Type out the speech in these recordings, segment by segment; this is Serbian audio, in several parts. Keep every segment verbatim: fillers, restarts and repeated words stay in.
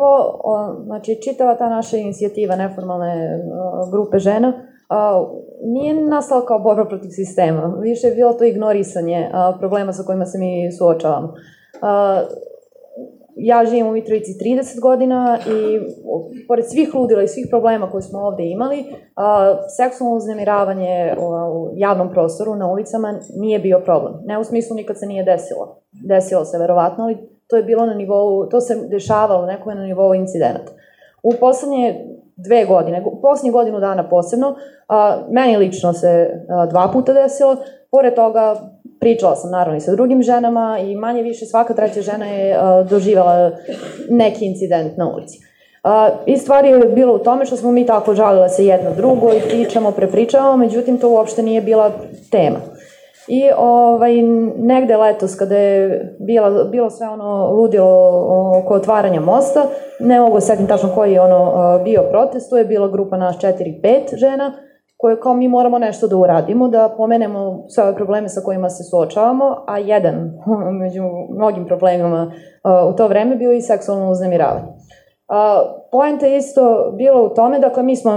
prvo, znači, čitava ta naša inicijativa neformalne grupe žena nije nastala kao borba protiv sistema. Više je bilo to ignorisanje problema sa kojima se mi suočavamo. Ja živim u Mitrovici trideset godina i pored svih ludila i svih problema koje smo ovde imali, seksualno uznemiravanje u javnom prostoru, na ulicama, nije bio problem. Ne u smislu nikad se nije desilo. Desilo se verovatno, ali to je bilo na nivou, to se dešavalo nekome na nivou incidenata. U poslednje dve godine, u poslednje godinu dana posebno, meni lično se dva puta desilo, pored toga pričala sam naravno i sa drugim ženama i manje više svaka treća žena je doživjela neki incident na ulici. I stvar je bila u tome što smo mi tako žalile se jedno drugo i pričamo, prepričavamo, međutim to uopšte nije bila tema. I ovaj, negde letos kada je bila, bilo sve ono ludilo oko otvaranja mosta, ne mogu setim tačno koji je ono bio protest, to je bila grupa nas četiri pet žena, koje kao mi moramo nešto da uradimo, da pomenemo sve ove probleme sa kojima se suočavamo, a jedan među mnogim problemima u to vreme bio i seksualno uznemiravanje. Poenta je isto bila u tome, dakle mi smo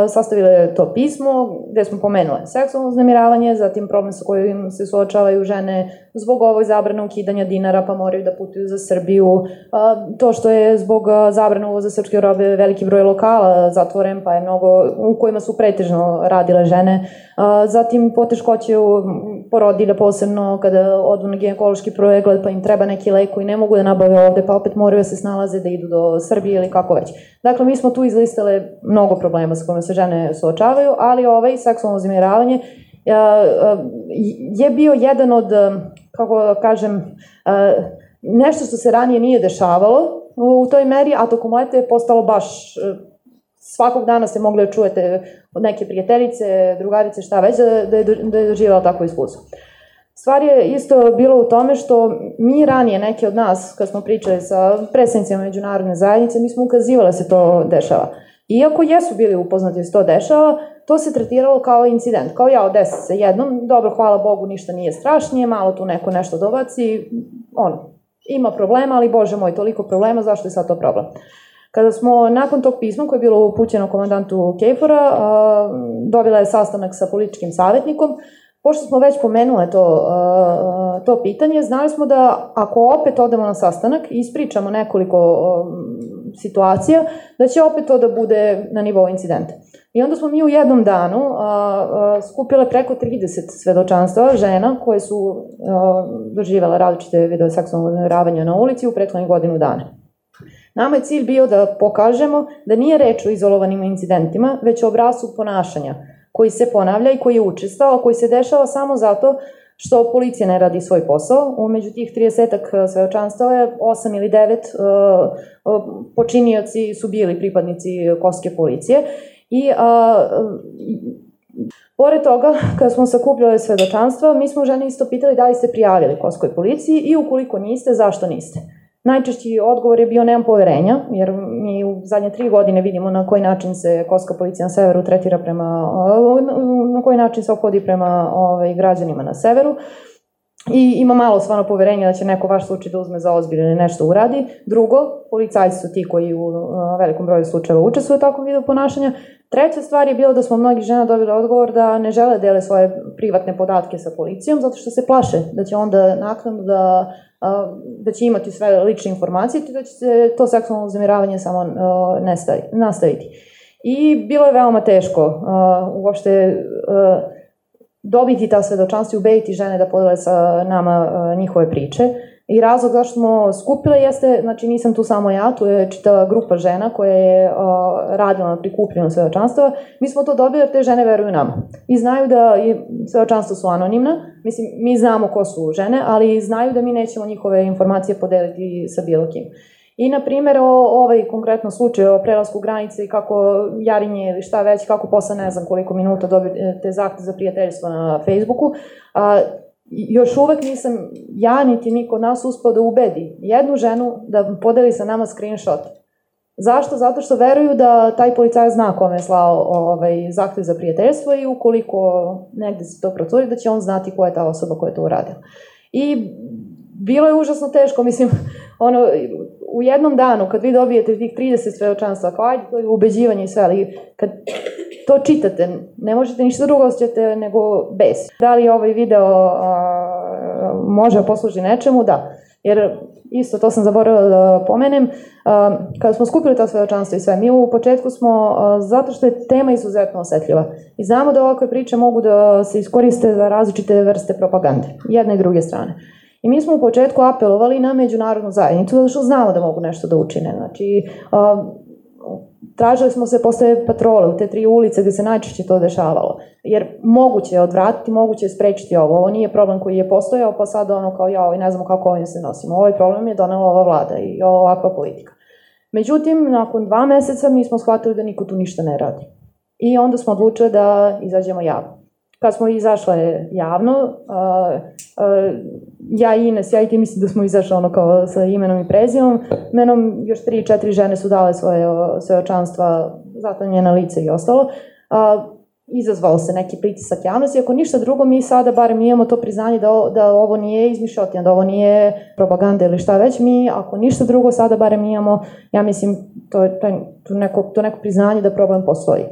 sastavile to pismo gde smo pomenule seksualno uznemiravanje, zatim problem sa kojim se suočavaju žene zbog ovog zabrane ukidanja dinara pa moraju da putuju za Srbiju, to što je zbog zabrane uvoza srpske robe veliki broj lokala zatvoren pa je mnogo u kojima su pretežno radile žene, zatim poteškoće u porodilja posebno kada odu na ginekološki pregled pa im treba neki lek koji ne mogu da nabave ovde pa opet moraju da se snalaze da idu do Srbije ili kako već. Dakle, mi smo tu izlistale mnogo problema sa kojima se žene suočavaju, ali ovaj seksualno uznemiravanje je bio jedan od, kako da kažem, nešto što se ranije nije dešavalo u toj meri, a tokom leta je postalo baš, svakog dana ste mogli da čujete od neke prijateljice, drugarice, šta već, da je doživjela takvo iskustvo. Stvar je isto bilo u tome što mi ranije, neki od nas, kad smo pričali sa predstavnicima međunarodne zajednice, mi smo ukazivali da se to dešava. Iako jesu bili upoznati da se to dešava, to se tretiralo kao incident. Kao ja, desi se jednom, dobro, hvala Bogu, ništa nije strašnije, malo tu neko nešto dobaci, ono, ima problema, ali Bože moj, toliko problema, zašto je sad to problem? Kada smo nakon tog pisma koje je bilo upućeno komandantu KFOR-a, dobila je sastanak sa političkim savjetnikom. Pošto smo već pomenule to, to pitanje, znali smo da ako opet odemo na sastanak i ispričamo nekoliko situacija, da će opet to da bude na nivou incidenta. I onda smo mi u jednom danu skupile preko trideset svedočanstva žena koje su doživjela različite vidove seksualnog uznemiravanja na ulici u prethodnih godinu dana. Nama je cilj bio da pokažemo da nije reč o izolovanim incidentima, već o obrascu ponašanja koji se ponavlja i koji je učestao, koji se dešava samo zato što policija ne radi svoj posao. Umeđu tih tridesetak svedočanstava je osam ili devet počinioci su bili pripadnici kosovske policije. I pored toga, kada smo sakupljali svedočanstva, mi smo žene isto pitali da li ste prijavili kosovskoj policiji i ukoliko niste, zašto niste. Najčešći odgovor je bio nemam poverenja, jer mi u zadnje tri godine vidimo na koji način se kosovska policija na severu tretira prema, na koji način se ophodi prema ovaj, građanima na severu. I ima malo stvarno poverenja da će neko vaš slučaj da uzme za ozbiljno ili nešto uradi. Drugo, policajci su ti koji u velikom broju slučajeva učestvuju u takvom vidu ponašanja. Treća stvar je bilo da smo mnogi žena dobili odgovor da ne žele dele svoje privatne podatke sa policijom zato što se plaše da će onda naknadno da, da će imati sve lične informacije i da će se to seksualno uznemiravanje samo nastaviti. I bilo je veoma teško uopšte dobiti ta svedočanstva i ubediti žene da podele sa nama njihove priče. I razlog zašto smo skupile jeste, znači nisam tu samo ja, tu je čitava grupa žena koja je uh, radila na prikupljenju svedočanstava. Mi smo to dobili jer te žene veruju nama. I znaju da svedočanstva su anonimna, mislim, mi znamo ko su žene, ali znaju da mi nećemo njihove informacije podeliti sa bilo kim. I, na primjer, o ovaj konkretno slučaj o prelasku granice i kako Jarinje ili šta već, kako posle ne znam koliko minuta dobijete zahtev za prijateljstvo na Facebooku, a, još uvek nisam ja niti niko od nas uspeo da ubedi jednu ženu da podeli sa nama screenshot. Zašto? Zato što veruju da taj policajac zna kome je slao ovaj, zahtev za prijateljstvo i ukoliko negde se to procuri da će on znati ko je ta osoba koja je to uradila. I bilo je užasno teško, mislim, ono, u jednom danu, kad vi dobijete tih trideset svedočanstva, kao ajde, to je ubeđivanje i sve, ali kad to čitate, ne možete ništa drugo osjećate nego bes. Da li ovaj video a, može posluži nečemu? Da. Jer isto to sam zaboravila da pomenem, a, kada smo skupili ta svedočanstva i sve, mi u početku smo, a, zato što je tema izuzetno osetljiva i znamo da ovakve priče mogu da se iskoriste za različite vrste propagande, jedne i druge strane. I mi smo u početku apelovali na međunarodnu zajednicu, zato što znamo da mogu nešto da učine. Znači, a, tražili smo se posle patrole u te tri ulice gde se najčešće to dešavalo. Jer moguće je odvratiti, moguće je sprečiti ovo. Ovo nije problem koji je postojao, pa sad ono kao ja, ne znamo kako ovim se nosimo. Ovaj problem je donela ova vlada i ovakva politika. Međutim, nakon dva meseca mi smo shvatili da niko tu ništa ne radi. I onda smo odlučili da izađemo javno. Kad smo izašle javno, uh, uh, ja i Ines, ja i ti mislim da smo izašle ono kao sa imenom i prezimom, menom još tri, četiri žene su dale svoje svedočanstva, zatanjena lice i ostalo. Uh, izazvalo se neki pritisak javnosti, ako ništa drugo, mi sada barem imamo to priznanje da, o, da ovo nije izmišljotina, da ovo nije propaganda ili šta već, mi ako ništa drugo sada barem imamo, ja mislim, to je to neko, to neko priznanje da problem postoji.